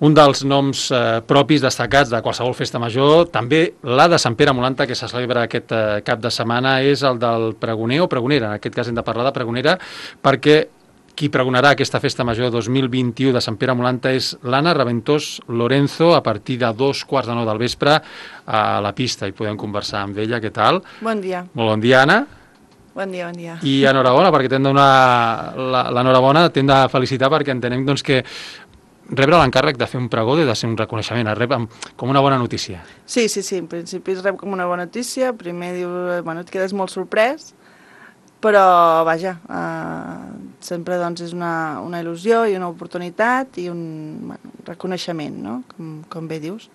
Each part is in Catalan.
Un dels noms propis destacats de qualsevol festa major, també la de Sant Pere Molanta, que se celebra aquest cap de setmana, és el del pregoner o pregonera. En aquest cas hem de parlar de pregonera, perquè qui pregonarà aquesta festa major 2021 de Sant Pere Molanta és l'Anna Raventós Lorenzo, a partir de 2:15 del vespre a la pista, i podem conversar amb ella. Què tal? Bon dia. Molt bon dia, Anna. Bon dia, bon dia. I enhorabona, perquè t'hem de donar l'enhorabona, t'hem de felicitar perquè entenem doncs, que rebre l'encàrrec de fer un pregó de ser un reconeixement, es rep com una bona notícia. Sí, en principi es rep com una bona notícia, primer dius, bueno, et quedes molt sorprès, però vaja, sempre doncs és una il·lusió i una oportunitat i un reconeixement, no? Com bé dius.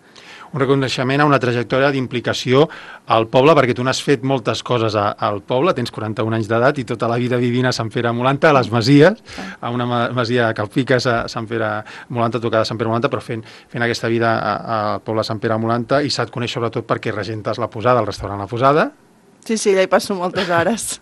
Un reconeixement a una trajectòria d'implicació al poble, perquè tu n'has fet moltes coses al poble, tens 41 anys d'edat i tota la vida vivint a Sant Pere Molanta, a les Masies, a una masia a Calpiques, a Sant Pere Molanta, tocada a Sant Pere Molanta, però fent aquesta vida al poble de Sant Pere Molanta, i se't coneix sobretot perquè regentes la Posada, el restaurant La Posada. Sí, allà hi passo moltes hores.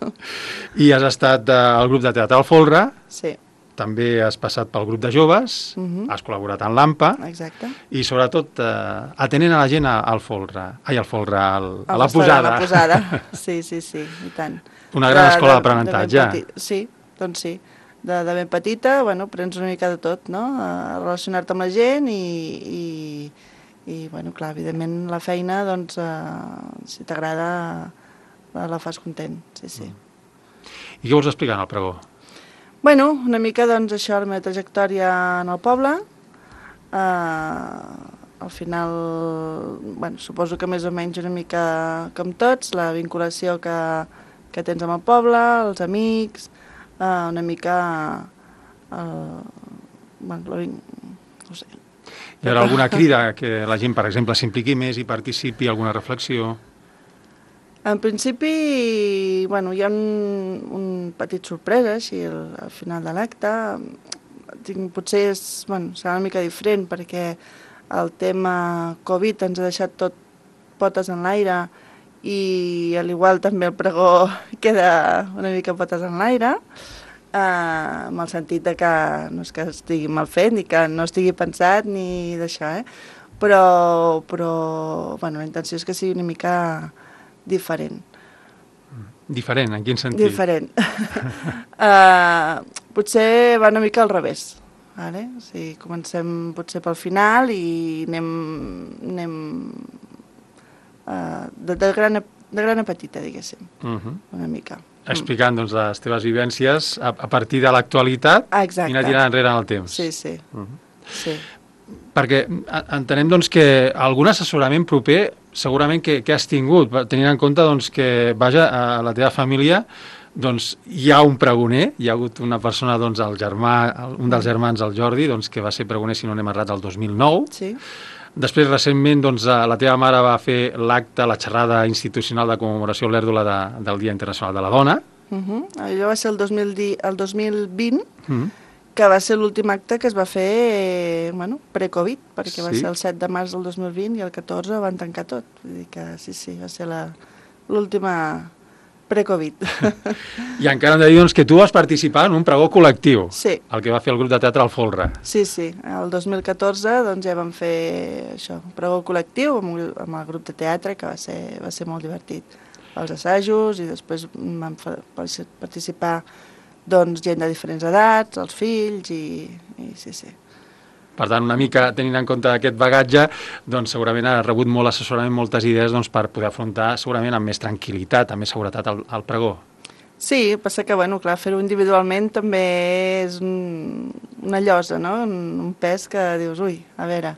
I has estat al grup de teatre al Folre. Sí. També has passat pel grup de joves, has col·laborat en l'AMPA. Exacte. I sobretot atenent a la gent al Folre, a la Posada. A la Posada, sí, i tant. Una gran escola d'aprenentatge. Sí, doncs sí. De ben petita, bueno, prens una mica de tot, no? A relacionar-te amb la gent i bueno, clar, evidentment la feina, doncs, si t'agrada, la fas content, sí. I què vols explicar en el pregó? Bueno, una mica, doncs, això, la meva trajectòria en el poble. Al final, bueno, suposo que més o menys una mica com tots, la vinculació que tens amb el poble, els amics, una mica... bueno, no sé. Hi haurà alguna crida que la gent, per exemple, s'impliqui més i participi, alguna reflexió? En principi, bueno, hi ha un petit sorpresa, així, al final de l'acte. Potser serà una mica diferent, perquè el tema Covid ens ha deixat tot potes en l'aire i, al igual, també el pregó queda una mica potes en l'aire, amb el sentit de que no és que estigui mal fet, ni que no estigui pensat, ni d'això, però bueno, la intenció és que sigui una mica diferent. Diferent? En quin sentit? Diferent. Potser va una mica al revés. Vale? O sigui, comencem potser pel final i anem de gran a petita, diguéssim, una mica. Explicant, doncs, les teves vivències a partir de l'actualitat i anar tirant enrere en el temps. Sí. Perquè entenem, doncs, que algun assessorament proper segurament que has tingut, tenint en compte, doncs, que, vaja, a la teva família doncs, hi ha un pregoner, hi ha hagut una persona, doncs, un dels germans, el Jordi, doncs, que va ser pregoner, si no n'hem errat, el 2009. Sí. Després, recentment, doncs, la teva mare va fer l'acte, la xerrada institucional de commemoració a l'Èrdula del Dia Internacional de la Dona. Allò va ser el 2020, que va ser l'últim acte que es va fer pre-Covid, perquè va ser el 7 de març del 2020 i el 14 van tancar tot. Vull dir que sí, va ser l'última pre-Covid. I encara hem de dir, doncs, que tu vas participar en un pregó col·lectiu, el que va fer el grup de teatre al Folre. Sí, el 2014 doncs, ja vam fer això, un pregó col·lectiu amb el grup de teatre, que va ser molt divertit. Els assajos, i després vam participar doncs, gent de diferents edats, els fills, i sí. Per tant, una mica tenint en compte aquest bagatge, doncs segurament ha rebut molt assessorament, moltes idees doncs, per poder afrontar segurament amb més tranquil·litat, amb més seguretat el pregó. Sí, passa que, bueno, clar, fer-ho individualment també és una llosa, no? Un pes que dius, ui, a veure...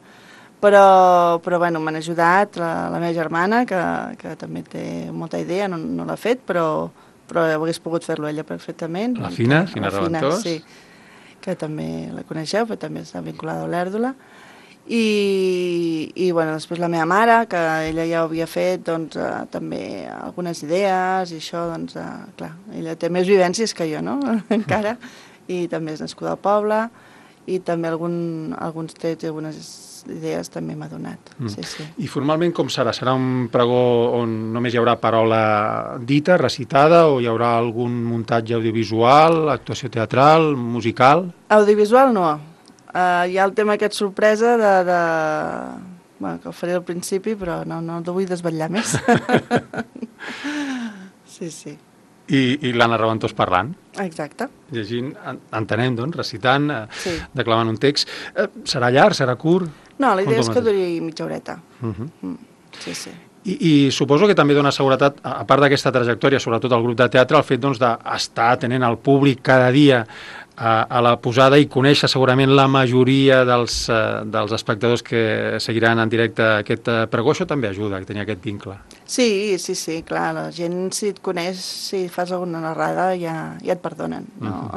Però bueno, m'han ajudat la meva germana, que també té molta idea, no l'ha fet, però hagués pogut fer-lo ella perfectament. La Fina Raventós. Sí, que també la coneixeu, però també està vinculada a l'Èrdula. I bueno, després la meva mare, que ella ja ho havia fet, doncs, també algunes idees, i això, doncs, clar, ella té més vivències que jo, no?, encara, i també és nascuda al poble, i també alguns trets i algunes idees també m'ha donat. Sí. I formalment com serà? Serà un pregó on només hi haurà paraula dita, recitada, o hi haurà algun muntatge audiovisual, actuació teatral, musical? Audiovisual no. hi ha el tema aquest sorpresa bueno, que ho faré al principi, però no el vull desvetllar més. Sí. I l'Anna Raventós parlant. Exacte. Llegint, entenem, doncs, recitant, Sí. declamant un text. Serà llarg, serà curt? No, la idea és que duri mitja horeta. Sí. I suposo que també dona seguretat, a part d'aquesta trajectòria, sobretot al grup de teatre, el fet doncs, d'estar atenent al públic cada dia a la posada i conèixer segurament la majoria dels espectadors que seguiran en directe aquest pregó. Això també ajuda a tenir aquest vincle. Sí, clar, la gent si et coneix, si fas alguna narrada ja et perdonen. No?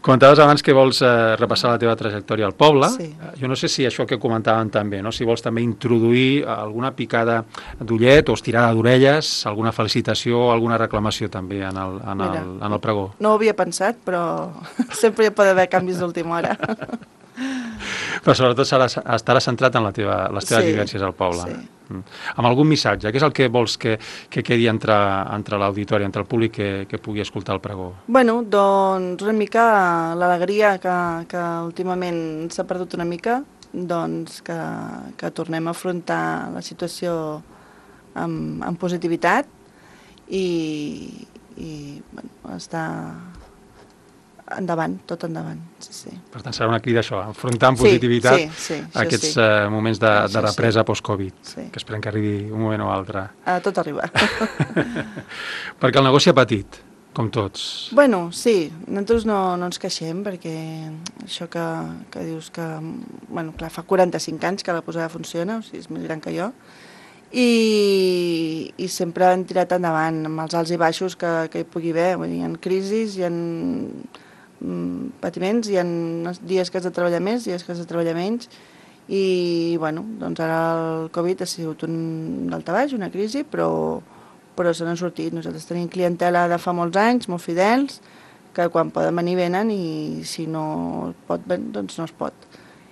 Comentaves abans que vols repassar la teva trajectòria al poble. Sí. Jo no sé si això que comentàvem també, no? Si vols també introduir alguna picada d'ullet o estirada d'orelles, alguna felicitació o alguna reclamació també en el pregó. No ho havia pensat, però sempre hi pot haver canvis d'última hora. Però sobretot estarà centrat en les teves vivències al poble. Sí. Amb algun missatge, què és el que vols que quedi entre l'auditori, entre el públic que pugui escoltar el pregó? Bueno, doncs una mica l'alegria que últimament s'ha perdut una mica, doncs que tornem a afrontar la situació amb positivitat i bueno, estar endavant, tot endavant, sí. Per tant, serà una crida això, enfrontar amb positivitat aquests moments de represa post-Covid, que esperem que arribi un moment o altre. Tot arriba. Perquè el negoci ha patit, com tots. Bueno, sí, nosaltres no ens queixem, perquè això que dius que, bueno, clar, fa 45 anys que la posada funciona, o sigui, és més gran que jo, i sempre han tirat endavant amb els alts i baixos que hi pugui haver. Vull dir, hi ha crisis, hi ha patiments, hi ha dies que has de treballar més, dies que has de treballar menys, i bueno, doncs ara el Covid ha sigut un daltabaix, una crisi, però se n'han sortit. Nosaltres tenim clientela de fa molts anys, molt fidels, que quan poden venir venen, i si no es pot venir, doncs no es pot.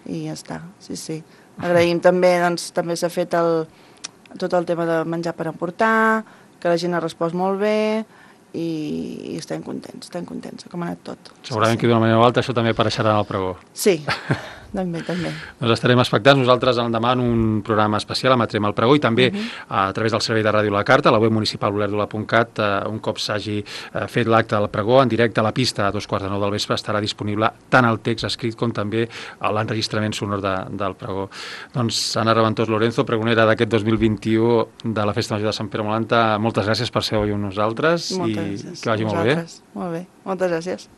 I ja està, sí. Agraïm també, doncs també s'ha fet tot el tema de menjar per emportar, que la gent ha respost molt bé, i estem contents, com ha anat tot. Segurament que d'una manera o altra això també apareixerà en el pregó. Sí, també. Doncs estarem expectants. Nosaltres l'endemà en un programa especial emetrem el pregó i també a través del servei de ràdio La Carta, a la web municipal olerdula.cat, un cop s'hagi fet l'acte del pregó en directe a la pista a 2:45 del vespre estarà disponible tant el text escrit com també l'enregistrament sonor del pregó. Doncs Anna Raventós Lorenzo, pregonera d'aquest 2021 de la Festa Major de Sant Pere Molanta, moltes gràcies per ser avui amb nosaltres i que vagi molt bé. Molt bé, moltes gràcies.